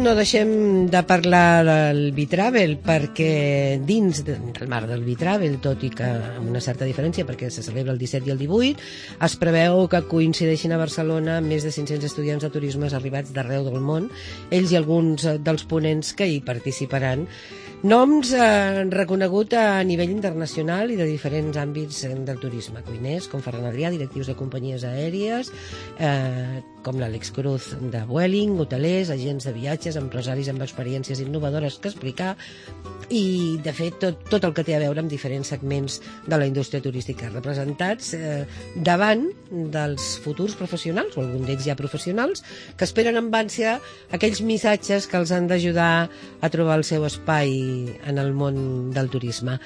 no deixem de parlar del Bitravel, perquè dins del marc del Bitravel, tot i que amb una certa diferència, perquè se celebra el 17 i el 18, es preveu que coincideixin a Barcelona més de 500 estudiants de turisme arribats d'arreu del món, ells i alguns dels ponents que hi participaran. Noms reconegut a nivell internacional i de diferents àmbits del turisme, cuiners com Ferran Adrià, directius de companyies aèries, com l'Àlex Cruz de Vueling, hotelers, agents de viatges, empresaris amb experiències innovadores que explicar, i de fet tot el que té a veure amb diferents segments de la indústria turística representats davant dels futurs professionals, o algun d'ells ja professionals, que esperen amb ànsia aquells missatges que els han d'ajudar a trobar el seu espai en el món del turisme.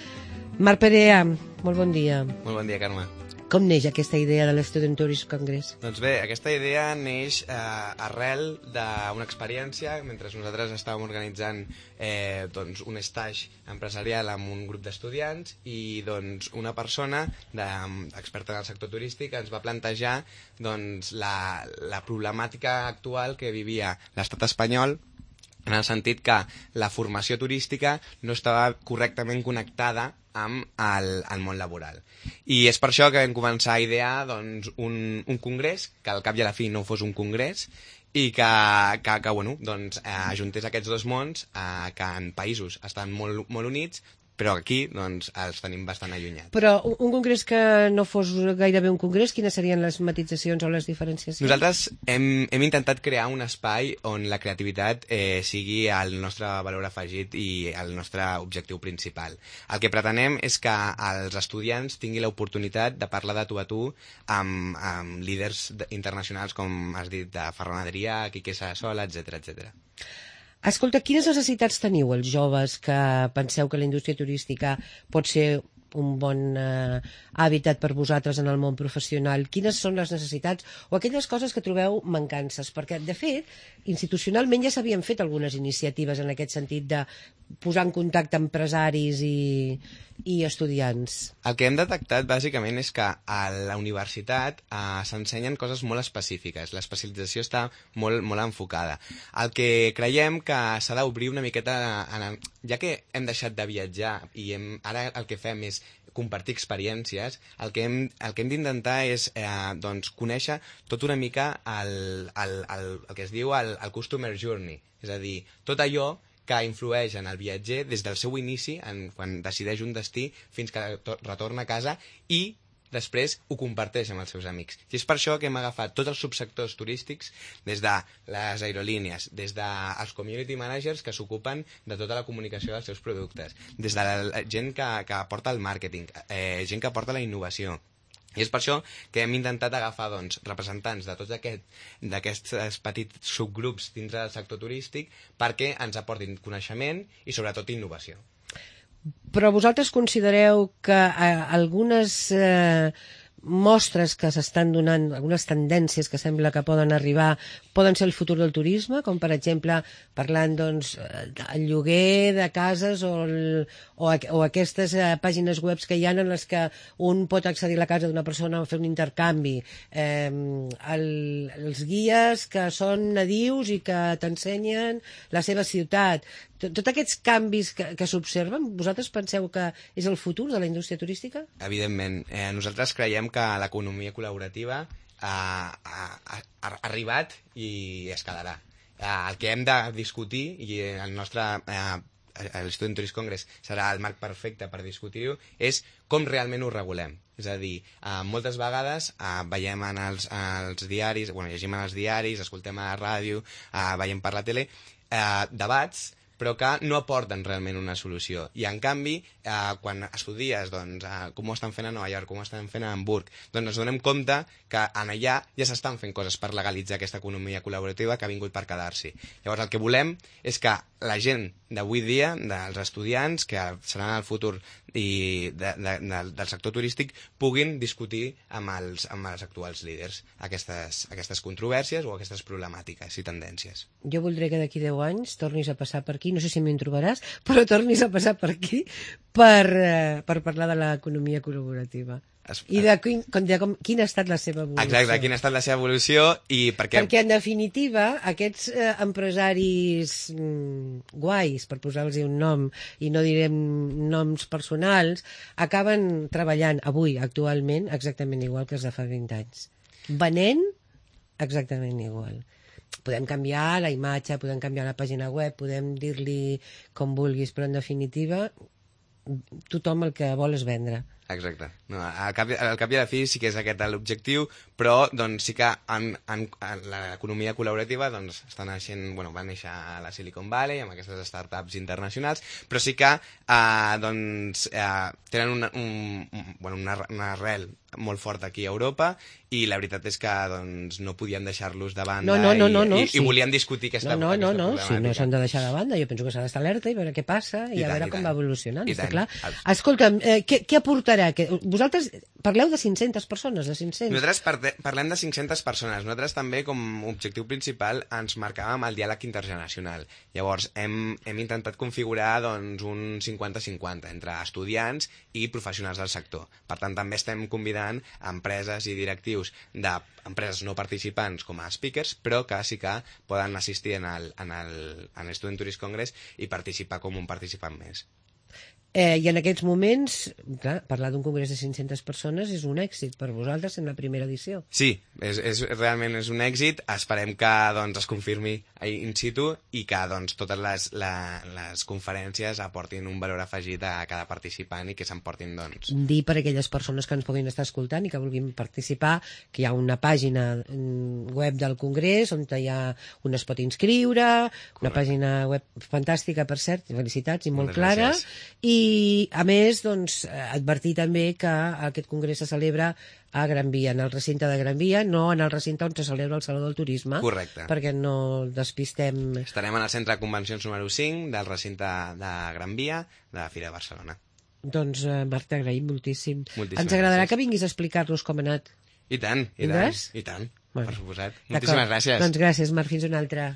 Marc Perea, molt bon dia. Molt bon dia, Carme. Com neix aquesta idea de l'Student Tourist Congress? Doncs bé, aquesta idea neix arrel d'una experiència mentre nosaltres estàvem organitzant un stage empresarial amb un grup d'estudiants i una persona experta en el sector turístic ens va plantejar la problemàtica actual que vivia l'estat espanyol, en el sentit que la formació turística no estava correctament connectada amb el món laboral. I és per això que vam començar a idear un congrés, que al cap i a la fi no fos un congrés, i que ajuntés aquests dos mons que en països estan molt, molt units, però aquí els tenim bastant allunyats. Però un congrés que no fos gairebé un congrés, quines serien les matitzacions o les diferenciacions? Nosaltres hem intentat crear un espai on la creativitat sigui el nostre valor afegit i el nostre objectiu principal. El que pretenem és que els estudiants tinguin l'oportunitat de parlar de tu a tu amb líders internacionals, com has dit, de Ferran Adrià, Quique Sarasola, etc. Escolta, quines necessitats teniu els joves que penseu que la indústria turística pot ser un bon hàbitat per vosaltres en el món professional? Quines són les necessitats o aquelles coses que trobeu mancances? Perquè, de fet, institucionalment ja s'havien fet algunes iniciatives en aquest sentit de posar en contacte empresaris i estudiants. El que hem detectat, bàsicament, és que a la universitat s'ensenyen coses molt específiques. L'especialització està molt, molt enfocada. El que creiem que s'ha d'obrir una miqueta, ja que hem deixat de viatjar i ara el que fem és compartir experiències, el que hem d'intentar és conèixer tot una mica el que es diu el customer journey, és a dir, tot allò que influeix en el viatger des del seu inici, quan decideix un destí, fins que retorna a casa i després ho comparteix amb els seus amics. I és per això que hem agafat tots els subsectors turístics, des de les aerolínies, des dels community managers que s'ocupen de tota la comunicació dels seus productes, des de la gent que aporta el màrqueting, gent que aporta la innovació. I és per això que hem intentat agafar representants de tots d'aquests petits subgrups dintre del sector turístic perquè ens aportin coneixement i sobretot innovació. Però vosaltres considereu que algunes mostres que s'estan donant, algunes tendències que sembla que poden arribar, poden ser el futur del turisme, com per exemple parlant del lloguer de cases o aquestes pàgines web que hi ha en les que un pot accedir a la casa d'una persona o fer un intercanvi, els guies que són nadius i que t'ensenyen la seva ciutat. Tots aquests canvis que s'observen, vosaltres penseu que és el futur de la indústria turística? Evidentment. Nosaltres creiem que l'economia col·laborativa ha arribat i escalarà. El que hem de discutir, i l'Student Tourist Congress serà el marc perfecte per discutir-ho, és com realment ho regulem. És a dir, moltes vegades veiem en els diaris, llegim en els diaris, escoltem a la ràdio, veiem per la tele, debats però que no aporten realment una solució. I, en canvi, quan estudies com ho estan fent a Nova York, com ho estan fent a Hamburg, ens donem compte que allà ja s'estan fent coses per legalitzar aquesta economia col·laborativa que ha vingut per quedar-s'hi. Llavors, el que volem és que la gent d'avui dia, dels estudiants, que seran el futur del sector turístic, puguin discutir amb els actuals líders aquestes controvèrsies o aquestes problemàtiques i tendències. Jo voldré que d'aquí 10 anys tornis a passar per aquí, no sé si m'hi trobaràs, però tornis a passar per aquí per parlar de l'economia col·laborativa. I de quina ha estat la seva evolució. Exacte, quina ha estat la seva evolució i per què... Perquè, en definitiva, aquests empresaris guais, per posar-los un nom, i no direm noms personals, acaben treballant avui, actualment, exactament igual que els de fa 20 anys. Venent exactament igual. Podem canviar la imatge, podem canviar la pàgina web, podem dir-li com vulguis, però en definitiva tothom el que vol és vendre. Exacte. No, al cap i a la fi sí que és aquest l'objectiu, però doncs, sí que en l'economia col·laborativa doncs, està naixent, bueno, va néixer a la Silicon Valley amb aquestes startups internacionals, però sí que tenen una arrel molt forta aquí a Europa i la veritat és que doncs, no podien deixar-los de banda i volien discutir aquesta problemàtica. Sí, no s'han de deixar de banda, jo penso que s'ha d'estar alerta i veure què passa i a veure com va evolucionant, està clar. Escolta'm, què aportarà? Vosaltres parleu de 500 persones, de 500? Nosaltres parlem de 500 persones. Nosaltres també, com a objectiu principal, ens marcàvem el diàleg intergeneracional. Llavors, hem intentat configurar doncs, un 50-50 entre estudiants i professionals del sector. Per tant, també estem convidant empreses i directius d'empreses no participants com a speakers, però que sí que poden assistir en l'Student Tourist Congress i participar com un participant més. I en aquests moments, clar, parlar d'un congrés de 500 persones és un èxit per vosaltres en la primera edició. Sí, realment és un èxit. Esperem que doncs, es confirmi in situ i que doncs, totes les conferències aportin un valor afegit a cada participant i que s'emportin... Doncs... Dir per a aquelles persones que ens puguin estar escoltant i que vulguin participar que hi ha una pàgina web del congrés on on es pot inscriure, una pàgina web fantàstica, per cert, felicitats i molt clara, i a més doncs, advertir també que aquest congrés se celebra a Gran Via, en el recinte de Gran Via, no en el recinte on se celebra el Saló del Turisme. Correcte. Perquè no despistem... Estarem en el centre de convencions número 5 del recinte de Gran Via de la Fira de Barcelona. Doncs, Marc, t'agraïm moltíssim. Moltíssimes Ens agradarà gràcies. que vinguis a explicar-nos com ha anat. I tant, Vindràs? i tant, Bueno, per suposat. Moltíssimes gràcies. Doncs gràcies, Marc, fins una altra.